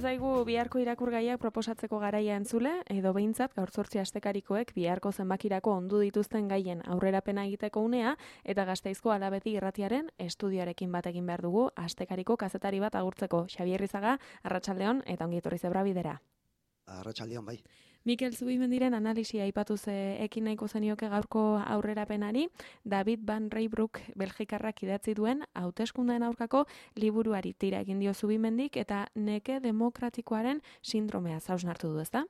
zaigu biharko irakurgaiak proposatzeko garaia entzule, edo behintzat gaur 8 astekarikoek biharko zenbakirako ondu dituzten gaien aurrerapena egiteko unea, eta Gasteizko Alabedi irratiaren estudioarekin bat egin behar dugu astekariko kazetari bat agurtzeko. Xabier Rizaga, arratsaldeon eta ongi etorri Zebra Bidera. Arratsaldeon bai. Mikel Zubimendiren analisia aipatuz ekin nahiko zenioke gaurko aurrerapenari, David Van Reybrouck Belgikarrak idatzi duen hauteskundeen aurkako liburuari tira egin dio Zubimendik eta neke demokratikoaren sindromea hausnartu du, ezta?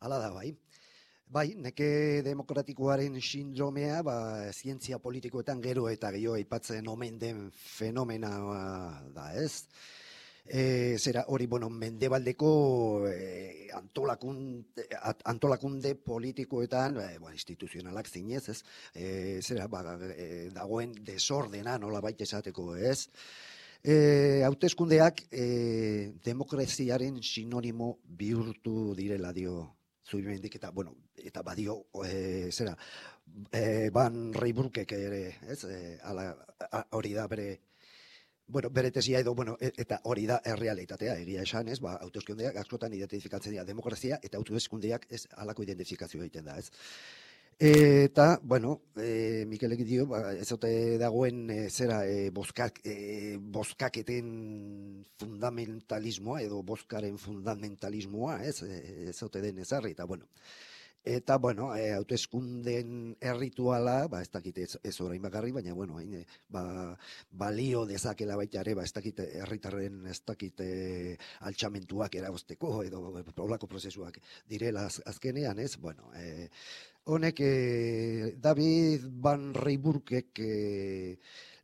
Hala da bai. Bai, neke demokratikoaren sindromea, zientzia politikoetan gero eta gehiago aipatzen omen den fenomena da, ez? Zera hori, mendebaldeko antolakunde politikoetan, instituzionalak zinez, ez? Dagoen desordena nola baita esateko, ez? Hauteskundeak demokraziaren sinonimo bihurtu direla dio Zubimendik eta badio Van Reybrouckek ere, ez? Hori da bere tesia eta hori da errealitatea, egia esan, ez? Hauteskundeak askotan identifikatzen dira demokrazia eta hauteskundeak ez halako identifikazio egiten da, ez? Eta, Mikelek dio, ez ote dagoen bozkaketen fundamentalismoa edo bozkaren fundamentalismoa, ez ote den ezarri, eta hauteskundeen errituala, ez dakit ez orain bakarri, baina balio dezakela baita ere, ez dakit herritarren ez dakit altxamentuak eragozteko edo olako prozesuak direla azkenean, ez? Honek David Van Reybrouckek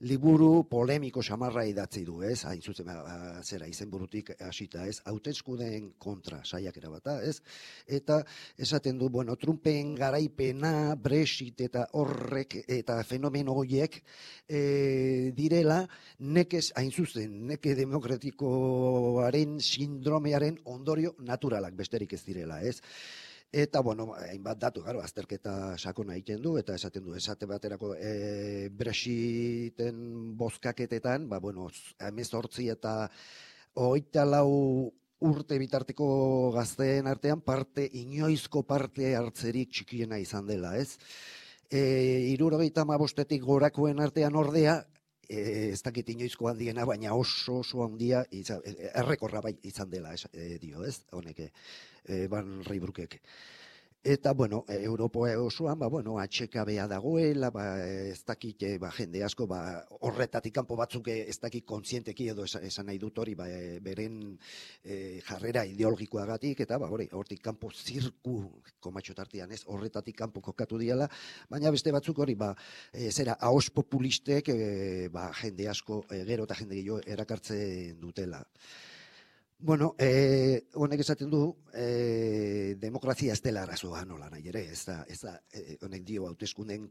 liburu polemiko samarra idatzi du, ez? Hain zuzen izenburutik hasita, ez? Hauteskundeen kontra saiakera bata, ez? Eta esaten du, Trumpen garaipena, Brexit eta horrek eta fenomeno horiek direla hain zuzen, neke demokratikoaren sindromearen ondorio naturalak besterik ez direla, ez? Eta, hainbat datu, azterketa sakona egiten du, eta esaten du, esate baterako Brexiten bozkaketetan, 18 eta 24 urte bitarteko gazteen artean inoizko parte hartzerik txikiena izan dela, ez? 75etik gorakoen artean ordea, ez dakit inoizko handiena, baina oso handia, errekorra bai izan dela, dio, ez? Honek, Van Reybrouckek. Eta, Europa osoan, atxekabea dagoela, ez dakit, jende asko, horretatik kanpo batzuk ez dakit kontzienteki edo esan nahi dut hori, beren jarrera ideologikoagatik, eta, hortik kanpo zirku, komatxotartian ez, horretatik kanpo kokatu diala, baina beste batzuk hori, ahos populistek, jende asko, gero eta jende gehiago erakartzen dutela. Honek esaten du, demokrazia ez dela arazoa nola nahi ere, ez da, honek dio hauteskundeen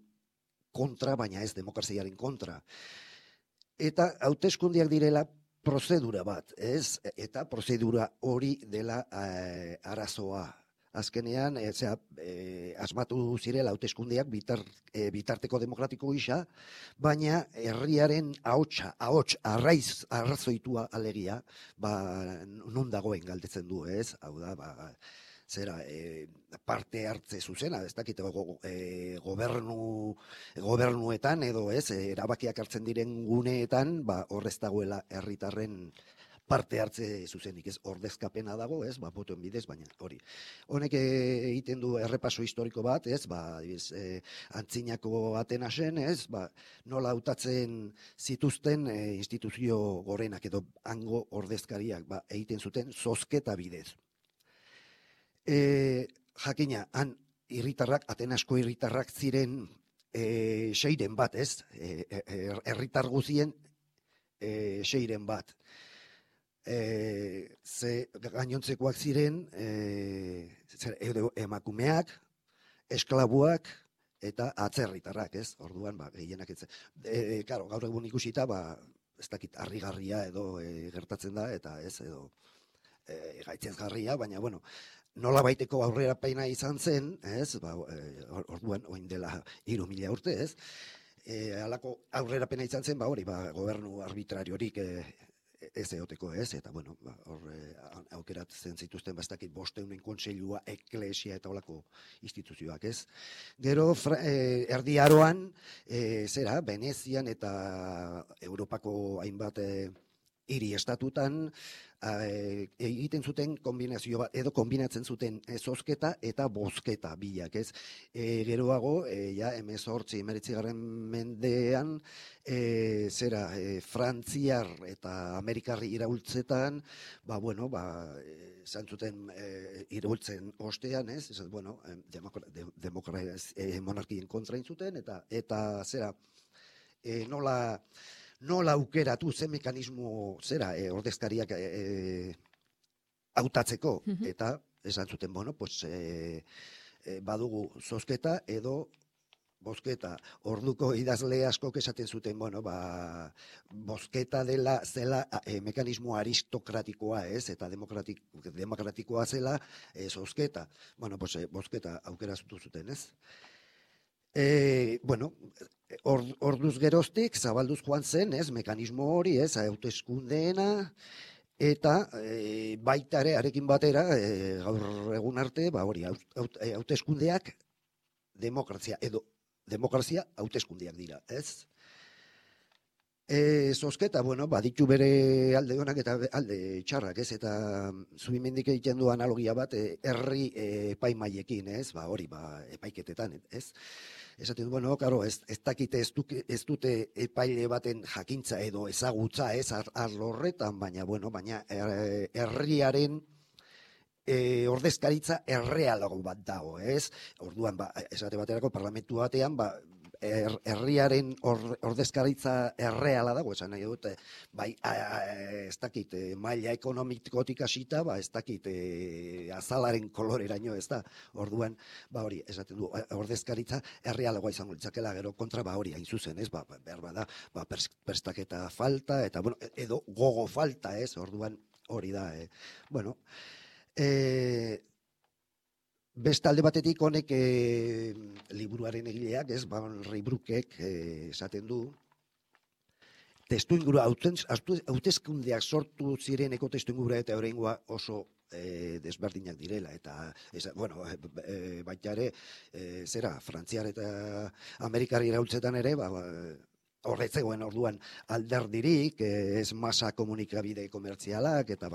kontra, baina ez demokraziaren kontra. Eta hauteskundeak direla prozedura bat, ez? Eta prozedura hori dela arazoa. Azkenean, asmatu zirela hauteskundeak bitarteko demokratiko gisa, baina herriaren ahots arrazoitua alegia, non dagoen galdetzen du, ez? Hau da, parte hartze zuzena, ez dakit gobernuetan edo ez, erabakiak hartzen diren guneetan, horrez dagoela herritarren parte hartze zuzenik, ez ordezkapena dago, ez, botoen bidez, baina hori. Honek egiten du errepaso historiko bat, ez, antzinako Atenasen, ez, nola hautatzen zituzten instituzio gorenak edo hango ordezkariak, egiten zuten zozketa bidez. Jakina, han Atenasko irritarrak ziren 6-ren bat, ez, herritar guzien 6-ren bat. Gainontzekoak ziren emakumeak, esklabuak eta atzerritarrak, ez? Orduan, gehienak ez. Gaur egun ikusita, ez dakit harrigarria edo gertatzen da, eta ez edo gaitzesgarria, baina, nola baiteko aurrerapena izan zen, ez? Orduan, oin dela 3.000 urte, ez? Halako aurrerapena izan zen, gobernu arbitrariorik ez eoteko ez, eta bueno, hor aukeratzen zituzten bastakit 500 kontseilua, eklesia eta holako instituzioak ez. Gero erdi aroan, Venezian eta Europako hainbat hiri estatutan egiten zuten kombinazio bat, edo kombinatzen zuten zozketa eta bozketa bilak, ez? Geroago, ja, 19 mendean, frantziar eta amerikarri iraultzetan, zantzuten iraultzen ostean, ez? Bueno, monarkien kontra intzuten, eta nola aukeratu ze mekanismo ordezkariak hautatzeko, eta esan zuten, badugu zozketa edo bozketa. Orduko idazle askok esaten zuten, bozketa zela mekanismo aristokratikoa, ez, eta demokratikoa zela zozketa. Bozketa aukera zuten, ez? Orduz geroztik, zabalduz joan zen, ez, mekanismo hori, ez, hauteskundeena, eta baita ere, arekin batera, gaur egun arte, hauteskundeak demokrazia hauteskundeak dira, ez? Zozketa, baditu bere alde honak eta alde txarrak, ez? Eta Zubimendik egiten du analogia bat herri epaimaiekin, ez? Epaiketetan, ez? Esaten du, ez dakite ez dute epaile baten jakintza edo ezagutza, ez? Arlo horretan, baina herriaren ordezkaritza errealago bat dago, ez? Orduan, esate baterako parlamentu batean, herriaren ordezkaritza erreala dago, esan nahi dut, ez dakit, maila ekonomikotik hasita, ez dakit, azalaren koloreraino, ez da, orduan, hori, esaten du, ordezkaritza errealagoa izango litzakela, gero kontra, hori, hain zuzen, ez, behar bada, prestaketa falta, eta, edo gogo falta, ez, orduan, hori da, beste alde batetik honek liburuaren egileak, ez, Reibruckek esaten du, testuingurua, hauteskundeak sortu zireneko testuingurua eta oraingoa oso desberdinak direla, eta, baita ere, Frantziar eta Amerikar iraultzetan ere, horretzegoen orduan alderdirik, ez masa komunikabide komertzialak, eta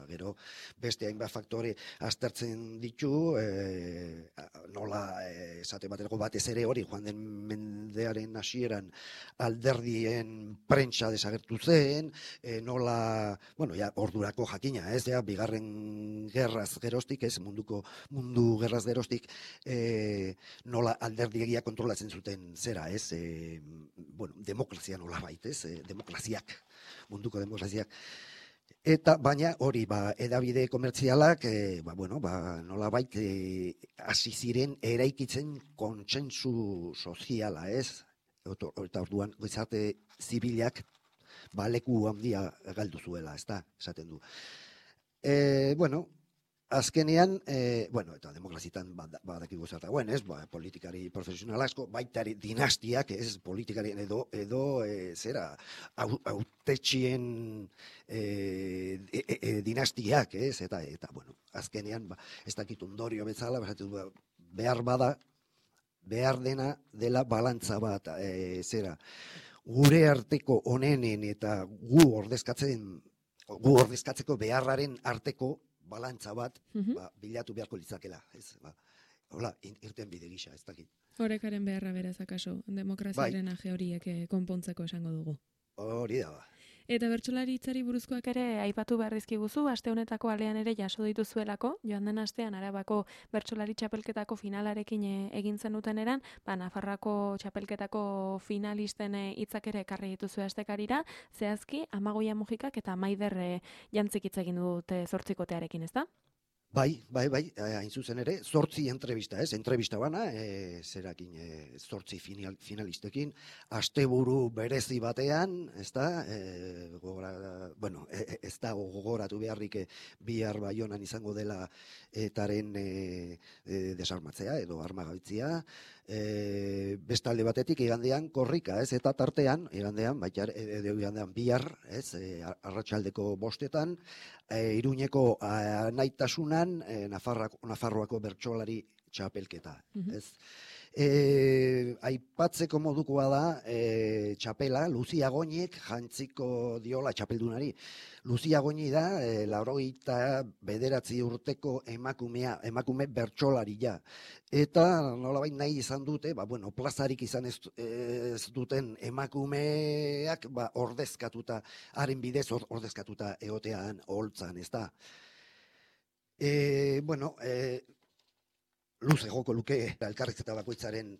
gero beste hainbat faktore aztertzen ditu, nola esate baterako batez ere hori, joan den mendearen hasieran alderdien prentsa desagertu zen, nola, ordurako jakina, ez, bigarren gerraz geroztik, ez, mundu gerraz geroztik, nola alderdiegia kontrolatzen zuten zera, ez, demokrazia nola baitez, munduko demokraziak. Eta baina hori, edabide komertzialak, nola bait, hasi ziren eraikitzen kontsentsu soziala, ez? Eta orduan, gizarte zibilak, leku handia galdu zuela, ez da, esaten du. Azkenean, eta demokrazitan badakigu zertagoen, ez, politikari profesional asko, baitari dinastiak, ez, politikarien edo hautetxien dinastiak, ez, eta, azkenean, ez dakit ondorio bezala, behar dena dela balantza bat, gure arteko onenen eta gu ordezkatzeko beharraren arteko balantza bat bilatu beharko litzakela, ez? Hola, irten bide gisa, ez dakit. Horekaren beharra beraz akaso, demokraziaren aje horiek konpontzeko esango dugu. Hori da, Eta bertsolaritzari buruzkoak ere aipatu behar dizkiguzu, aste honetako alean ere jaso dituzuelako, joan den astean Arabako bertsolari txapelketako finalarekin egin zenuten eran, Nafarroako txapelketako finalisten hitzak ere ekarri dituzue astekarira, zehazki Amagoia Mujikak eta Maider Jantzik hitz egin dute 8kotearekin, ezta? Bai, hain zuzen ere, 8 entrevista, ez? Entrevista bana, 8 finalistekin, asteburu berezi batean, ez da, ez da gogoratu beharrik bihar Baionan izango dela etaren desarmatzea edo armagabetzia. Bestalde batetik igandean korrika, ez, eta tartean igandean bihar, ez, arratsaldeko 5:00 Iruñeko anaitasunan Nafarroako bertsolari txapelketa, ez. Aipatzeko modukoa da txapela, Luzia Goñik jantziko diola txapeldunari. Luzia Goñi da 89 urteko emakume bertsolaria. Eta nolabait nahi izan dute, plazarik izan ez duten emakumeak ordezkatuta, haren bidez ordezkatuta egotean oholtzan, ez da. Luze joko luke elkarrizketa bakoitzaren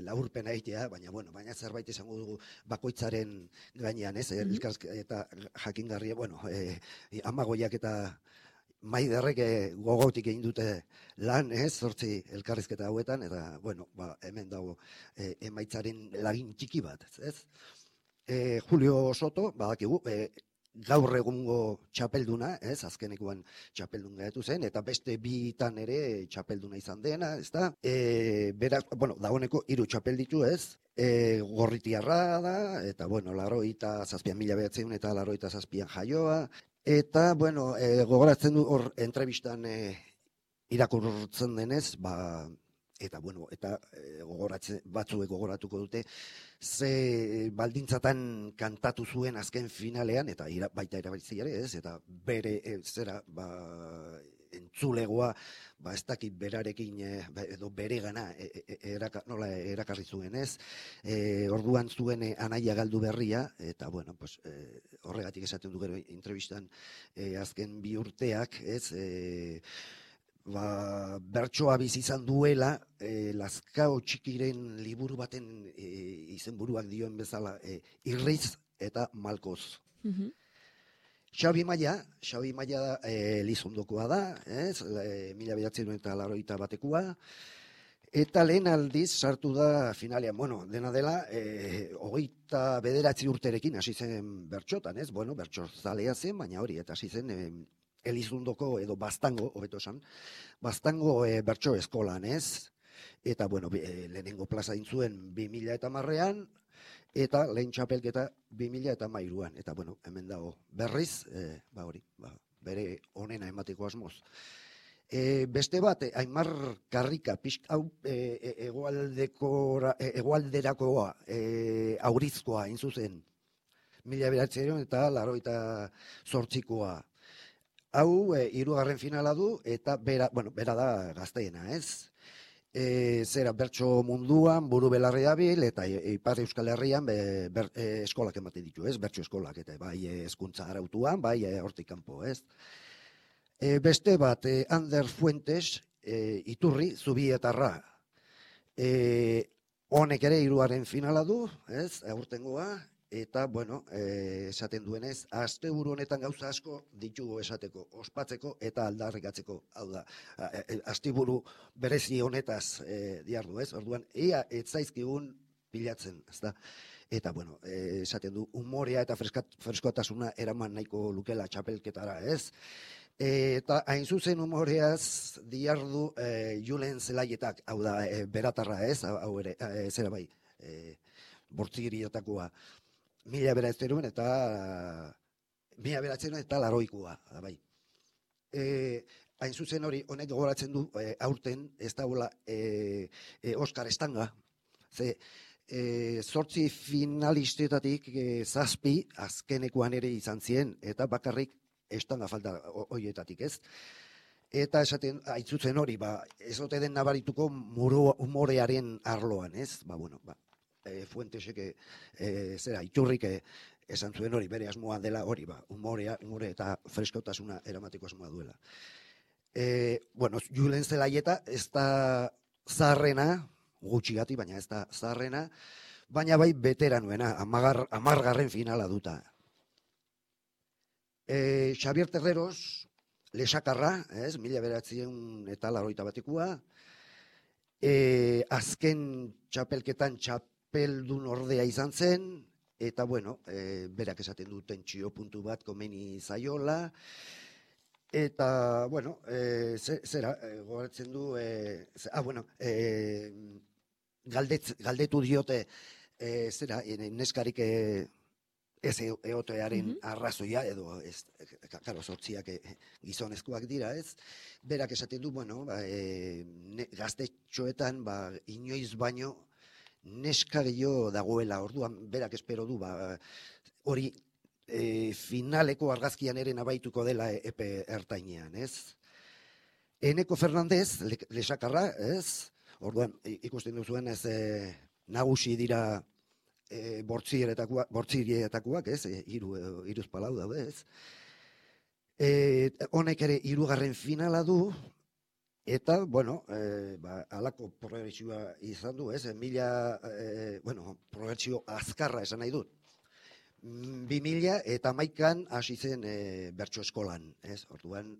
laburpena egitea, baina zerbait esango dugu bakoitzaren gainean, ez? Elkarrizketa jakingarria, Amagoiak eta Maiderrek gogotik egin dute lan, ez? 8 elkarrizketa hauetan, eta, hemen dago emaitzaren lagin txiki bat, ez? Julio Soto, badakigu, gaur egungo txapelduna, ez, azkenekoan txapeldun gaitu zen, eta beste bitan ere txapelduna izan dena, ez da? Beraz, dagoeneko 3 txapel ditu, ez? Gorritiarra da, eta, 87.000 eta 87 jaioa, eta, gogoratzen du hor entrevistan irakurtzen denez, eta batzuek gogoratuko dute, ze baldintzatan kantatu zuen azken finalean, eta baita erabiltziare, ez? Eta bere entzulegoa, ez dakit berarekin, edo bere gana, nola erakarri zuen, ez? Orduan zuen anaia galdu berria, eta, horregatik esaten du gero entrevistan azken 2 urteak, ez? Bertsoa bizi izan duela, Lazkao Txikiren liburu baten izenburuak dioen bezala, Irriz eta Malkoz. Xabi Maia da Elizondokoa da, ez? 1981 eta lehen aldiz sartu da finalean, dena dela, 29 urterekin hasi zen bertxotan, ez? Bertso zalea zen, baina hori, eta hasi zen Elizondoko edo Baztango, hobeto esan, Baztango bertso eskolan, ez? Eta, lehenengo plaza intzuen 2010an, eta lehen txapelketa 2013an. Eta, hemen dago berriz, bere onena emateko asmoz. Beste bat, Aimar Karrika, hau hegoalderakoa, Aurizkoa, intzuzen, 1988koa. Hau, 3. finala du, eta bera da gazteena, ez? Bertso munduan, buru belarri dabil, eta Ipar Euskal Herrian eskolak ematen ditu, ez? Bertso eskolak, eta bai hezkuntza arautuan, bai hortik kanpo, ez? Beste bat, Ander Fuentes, Iturri, Zubietarra. Honek ere 3. finala du, ez? Aurtengoa. Eta, esaten duenez, asteburu honetan gauza asko ditugu esateko, ospatzeko eta aldarrikatzeko. Hau da, asteburu berezi honetaz diardu, ez? Orduan, ea etzaizkigun pilatzen, ez da? Eta, esaten du, umorea eta freskotasuna eraman nahiko lukela txapelketara, ez? Eta hain zuzen umoreaz diardu Julen Zelaietak, hau da, beratarra, ez? Hau ere, zera bai, Bortzigirietakoa. 1900 eta 80koa, bai. Hain zuzen hori, honek gogoratzen du, aurten, ez dagoela Oskar Estanga. 8 finalistetatik 7 azkenekoan ere izan ziren, eta bakarrik Estanga falta horietatik, ez? Eta esaten, haitzutzen hori, ez ote den nabarituko umorearen arloan, ez? Fuentesek Iturrik esan zuen hori, bere asmoa dela hori, umore eta freskotasuna eramateko asmoa duela. Julen Zelaieta ez da zaharrena, gutxigati, baina ez da zaharrena, baina bai beteranuena, 10. finala duta. Xavier Terreros, Lesakarra, 1981koa, azken txapelketan txapeldun ordea izan zen, eta bueno, berak esaten du tentsio puntu bat komeni zaiola, eta, bueno, zera, gogoratzen du, bueno, galdetu diote, zera, neskarik ez eotearen arrazoia, edo, karo, sortziak gizonezkoak dira, ez? Berak esaten du, bueno, gaztetxoetan, inoiz baino, neska gehiago dagoela, orduan, berak espero du, hori, finaleko argazkian ere nabaituko dela epe ertainean, ez? Eneko Fernandez, lesakarra, ez? Orduan, ikusten duzuen ez nagusi dira bortzirietakoak, ez? Iruz palau daude, ez? Honek ere hirugarren finala du, eta, bueno, halako progresioa izan du, ez? Progresio azkarra esan nahi dut. 2011an hasi zen bertso eskolan, ez? Orduan,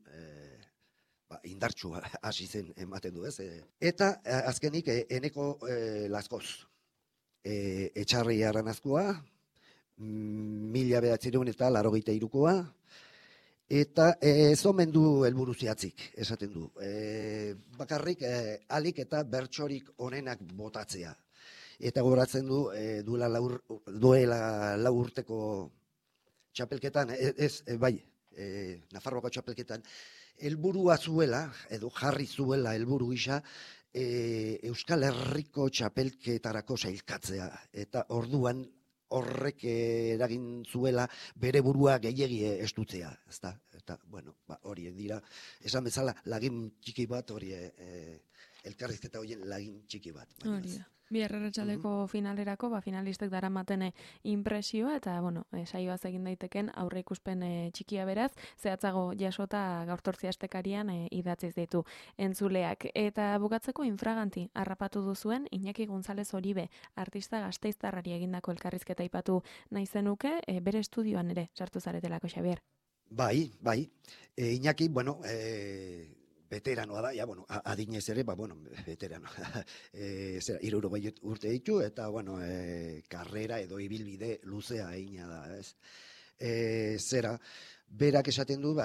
indartsua hasi zen ematen du, ez? Eta azkenik Eneko Laskoz, Etxarri Arranazkoa, 1983koa, eta ez omen du helburu zehatzik, esaten du. Bakarrik alik eta bertsorik onenak botatzea. Eta gogoratzen du, duela lau urteko txapelketan, Nafarroako txapelketan, helburua zuela, edo jarri zuela helburu gisa, Euskal Herriko txapelketarako sailkatzea. Eta orduan horrek eragin zuela bere burua gehiegi estutzea. Eta, bueno, hori dira, esan bezala, lagin txiki bat, hori elkarrizketa horien lagin txiki bat. Hori da. Bihar arratsaldeko finalerako, finalistek daramaten impresioa, eta, bueno, saioaz egin daiteken aurre ikuspen txikia beraz, zehatzago jasota gaurtortzi astekarian idatziz ditu entzuleak. Eta bukatzeko infraganti harrapatu duzuen Iñaki González Oribe, artista gasteiztarrari egindako elkarrizketa aipatu nahi zenuke, bere estudioan ere sartu zaretelako, Xabier. Bai. Iñaki, bueno, veteranoa da, adinez ere, veterano. 60 urte ditu, eta, karrera edo ibilbide luzea egina da, ez? Berak esaten du,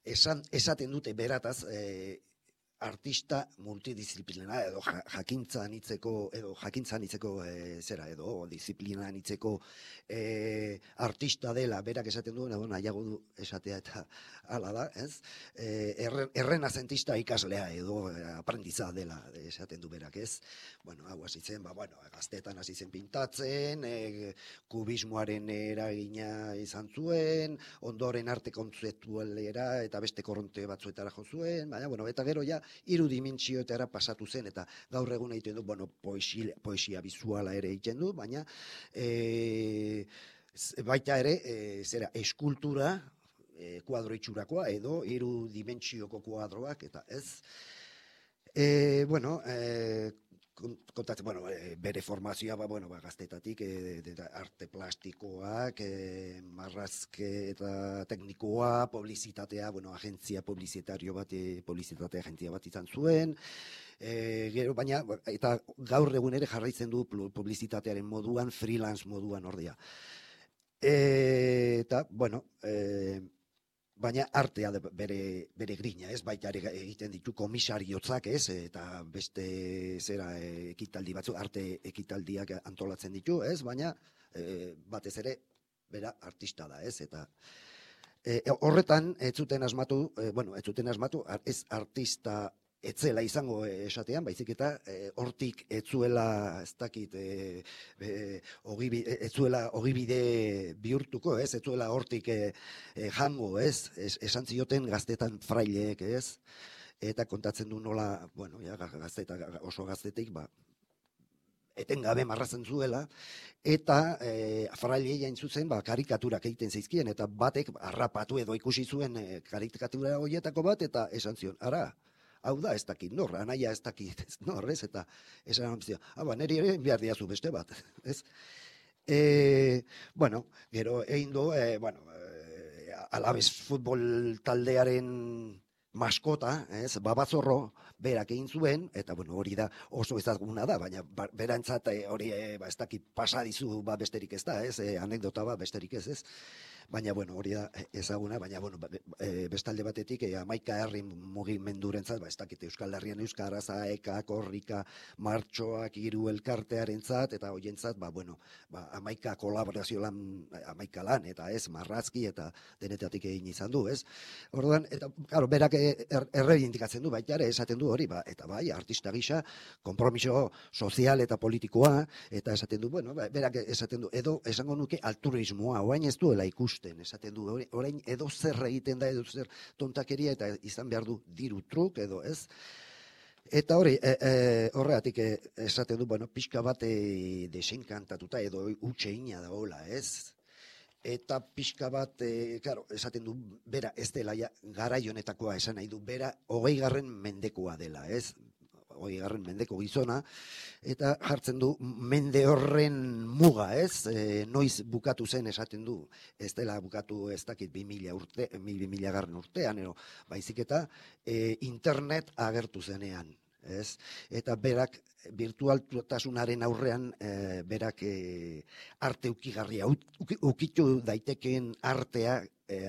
esaten dute berataz, artista multidisciplina edo jakintza anitzeko edo disiplina anitzeko artista dela, berak esaten du, nahiago du esatea eta hala da, ez? Errenazentista ikaslea edo aprendiza dela esaten du berak, ez? Hau hasi zen, gaztetan hasi zen pintatzen, kubismoaren eragina izan zuen, ondoren arte kontzeptualera eta beste korronte batzuetara jo zuen, eta gero ja irudimentsioetara pasatu zen, eta gaur egun egiten du, poesia bizuala ere egiten du, baina baita ere, eskultura, kuadro itxurakoa, edo irudimentsioko kuadroak, eta ez. Bere formazioa, gaztetatik, arte plastikoak, marrazke eta teknikoa, publizitatea, agentzia publizitatea bat izan zuen, baina, eta gaur egun ere jarraitzen du publizitatearen moduan, freelance moduan ordea. Eta, baina artea bere grina, ez? Baita ere egiten ditu komisariotzak, ez? Eta beste ekitaldi batzu, arte ekitaldiak antolatzen ditu, ez? Baina batez ere bera artista da, ez? Eta horretan ez zuten asmatu, ez artista etzela izango esatean, baizik eta hortik etzuela, ez dakit, etzuela ogibide bihurtuko, ez? Etzuela hortik jango, ez? Esan zioten gaztetan fraileek, ez? Eta kontatzen du nola, oso gaztetik, etengabe marrazen zuela, eta frailei hain zuzen karikaturak egiten zeizkien, eta batek harrapatu edo ikusi zuen karikatura horietako bat, eta esan zion, ara, hau da ez dakit nor, anaia ez dakit nor, ez? Eta esan amzio, niri ere behar diazu beste bat, ez? Gero egin du, Alabes futbol taldearen maskota, ez, Babazorro, berak egin zuen, eta bueno, hori da oso ezaguna da, baina berantzat hori ez dakit pasadizu besterik ez da, ez, anekdota besterik ez. Baina, bueno, hori da ezaguna, baina, bueno, bestalde batetik, 11 herri mugimendurentzat, ez dakit Euskal Herrian Euskara, Zaeka, Korrika, Martxoak, Hiru elkartearentzat, eta hoientzat, 11 kolaborazio lan, 11 lan, eta ez, marrazki, eta denetatik egin izan du, ez? Orduan, eta, claro, berak erreibindikatzen du, baita ere, esaten du hori, eta bai, artista gisa, konpromiso sozial eta politikoa, eta esaten du, bueno, berak esaten du, edo esango nuke altruismoa, oain ez duela ikusten, esaten du, orain edo zer egiten da, edo zer tontakeria, eta izan behar du diru truk, edo ez. Eta hori, horregatik esaten du, bueno, pixka bat desenkantatuta, edo utxeina da hola, ez? Eta pixka bat, claro, esaten du, bera ez dela garai honetakoa esan nahi du, bera 20. mendekoa dela, ez? 20. mendeko gizona, eta jartzen du mende horren muga, ez? Noiz bukatu zen esaten du, ez dela bukatu ez dakit 2000 urtean, baizik eta internet agertu zenean, ez? Eta berak virtualtasunaren aurrean berak arte ukigarria, ukitu daitekeen artea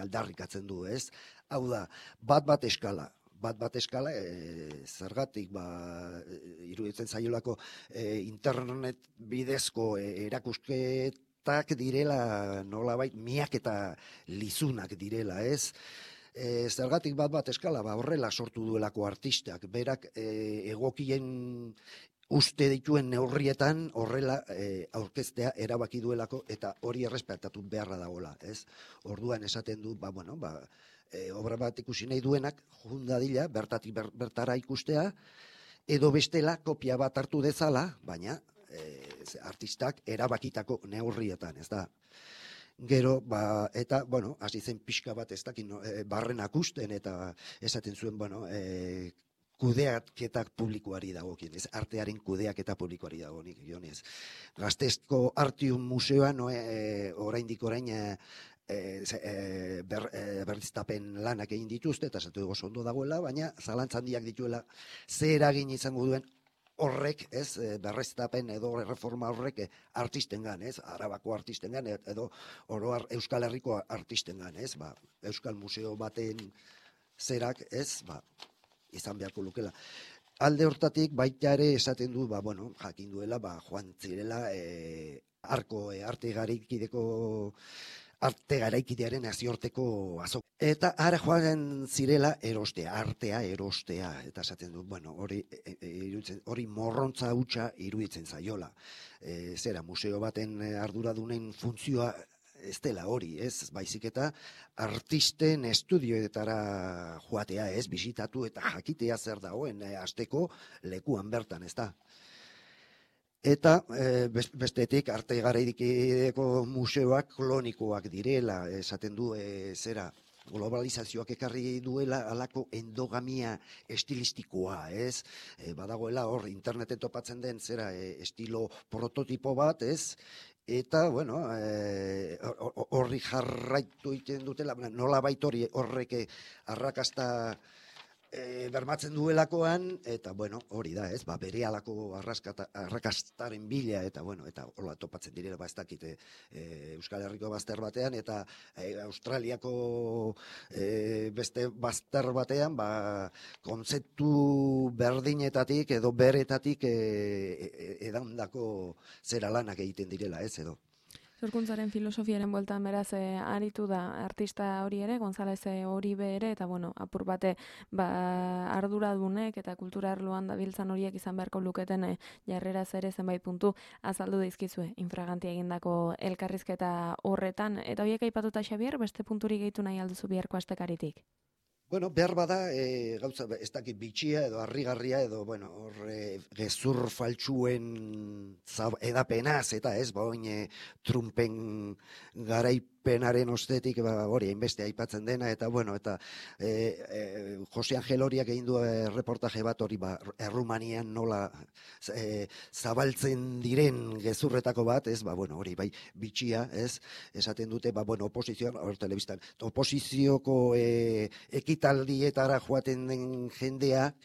aldarrikatzen du, ez? Hau da, bat eskala, zergatik iruditzen zaiolako internet bidezko erakusketak direla nolabait miak eta lizunak direla, ez? Zergatik bat eskala, horrela sortu duelako artistak, berak egokien uste dituen neurrietan horrela aurkeztea erabaki duelako, eta hori errespetatu beharra dagoela, ez? Orduan esaten du, obra bat ikusi nahi duenak, jundadila, bertatik bertara ikustea, edo bestela kopia bat hartu dezala, baina artistak erabakitako neurrietan, ez da? Gero, eta, bueno, hasi zen pixka bat ez dakin, barrenak usten, eta esaten zuen, kudeaketak publikoari dagokien, ez, artearen kudeaketa publikoari dagokionez. Gasteizko Artium Museoan, oraindik orain, berriztapen lanak egin dituzte, eta esatu oso ondo dagoela, baina zalantzan handiak dituela zer eragin izango duen horrek, ez, berriztapen edo reforma horrek artistengan, ez, Arabako artistengan, edo oroar Euskal Herriko artistengan, ez, Euskal Museo baten zerak, ez, izan beharko lukela. Alde hortatik baita ere esaten du, jakin duela, joan zirela arte garaikidearen nazioarteko azok. Eta ara joan zirela artea erostea, eta esaten du, hori morrontza hutsa iruditzen zaiola. Zera, museo baten arduradunen funtzioa ez dela hori, ez, baizik eta artisten estudioetara joatea, ez, bisitatu eta jakitea zer dagoen asteko lekuan bertan, ez da. Eta bestetik arte garaikideko museoak klonikoak direla, esaten du zera globalizazioak ekarri duela halako endogamia estilistikoa, ez? Badagoela hor interneten topatzen den zera estilo prototipo bat, ez? Eta, horri jarraitu egiten dutela, nola baitori horrek arrakasta bermatzen duelakoan, eta, hori da, ez, bere halako arrakastaren bila, eta, eta hola topatzen direla, ez dakit, Euskal Herriko bazter batean, eta Australiako beste bazter batean, kontzeptu berdinetatik edo beretatik edandako zera lanak egiten direla, ez, edo. Sorkuntzaren filosofiaren bueltan beraz aritu da artista hori ere, González Oribe ere, eta apur bate arduradunek eta kultura arloan dabiltzan horiek izan beharko luketen jarreraz ere zenbait puntu azaldu dizkizue infraganti egindako elkarrizketa horretan. Eta horiek aipatuta, Xabier, beste punturik gehitu nahi alduzu biharko astekaritik? Behar bada, gauza, ez dakit bitxia edo harrigarria edo, gezur faltsuen edapenaz, eta ez, Trumpen penaren ostetik hori hainbeste aipatzen dena, eta bueno, eta Jose Angel Horiak egin du reportaje bat hori Errumanian nola zabaltzen diren gezurretako bat, ez, bueno, hori bai bitxia, ez, esaten dute, bueno, oposizioan, hor telebistan, oposizioko ekitaldietara joaten den jendeak,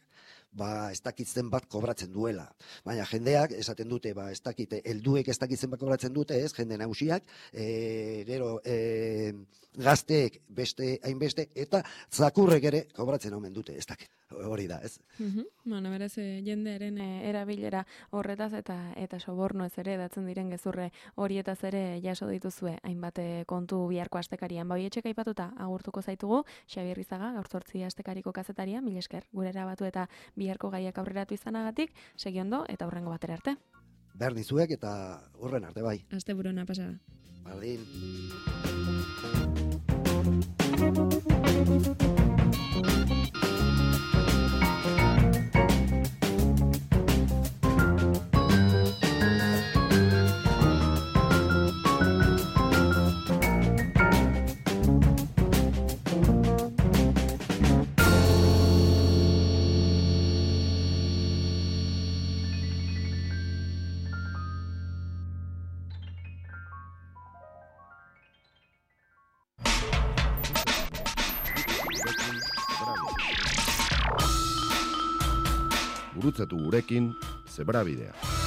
ez dakitzen bat kobratzen duela. Baina jendeak, esaten dute, ez dakite, helduek ez dakitzen bat kobratzen dute, ez, jende nagusiak, gero gazteek beste hainbeste, eta zakurrek ere kobratzen omen dute, ez dakit. Hori da, ez? Bueno, beraz, jendearen erabilera horretaz eta sobornoez ere datzen diren gezurre horietaz ere jaso dituzue hainbat kontu biharko astekarian. Etxek aipatuta agurtuko zaitugu, Xabier Rizaga, gaur 8 astekariko kazetaria, mil esker, gure erabatu eta biharko gaiak aurreratu izanagatik, segi ondo eta hurrengo batera arte. Berdin zuek eta hurren arte bai. Asteburuna pasada. Berdin. Gurutzatu gurekin Zebrabidea.